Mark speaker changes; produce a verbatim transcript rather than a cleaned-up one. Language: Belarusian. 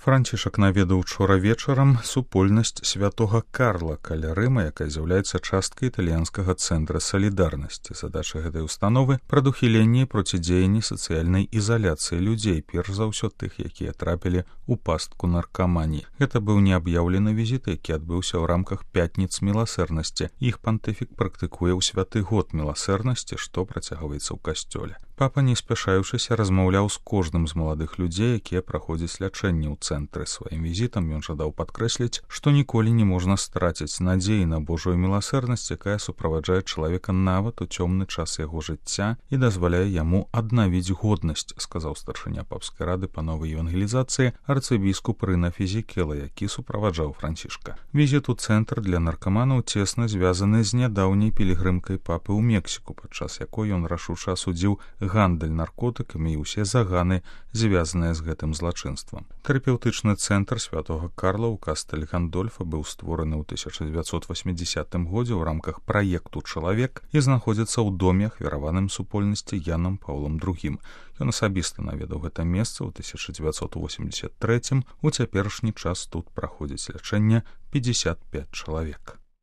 Speaker 1: Францішак наведаў учора вечарам супольнасць святога Карла каля Рыма, якая з'яўляецца часткай італьянскага цэнтра салідарнасці. Задача гэтай установы — прадухіленне і процідзеянне сацыяльнай ізаляцыі людзей, перш за ўсё тых, якія трапілі ў пастку наркаманіі. Гэта быў неаб'яўлены візіт, які адбыўся ў рамках пятніц міласэрнасці. Іх пантыфік практыкуе ў святы год міласэрнасці, што працягваецца ў касцёле. Папа, не спяшаючыся, размаўляў з кожным з маладых людзей, якія праходзяць лячэнне ў цэнтры. Сваім візітам ён жадаў падкрэсліць, што ніколі не можна страціць надзеі на Божую міласэрнасць, якая суправаджае чалавека нават у цёмны час яго жыцця і дазваляе яму аднавіць годнасць, сказаў старшыня папскай рады па новай евангелізацыі арцыбіскуп Рына Фізікела, які суправаджаў Францішка. Візіт у цэнтр для наркаманаў цесна звязаны з нядаўняй пілігрымкай папы ў Мексіку, падчас якой ён рашуча асудзіў гандаль наркотыкамі і ўсе заганы, звязаныя з гэтым злачынствам. Тэрапеўтычны цэнтр святога Карла ў Кастэль Гандольфа быў створаны ў тысяча дзевяцьсот васьмідзесятым годзе ў рамках праекту «Чалавек» і знаходзіцца ў доме, ахвяраваным супольнасці Янам Паўлам другім. Ён асабіста наведаў гэта месца ў тысяча дзевяцьсот восемьдесят трэцім. У цяперашні час тут праходзіць лячэнне пятьдесят пять чалавек.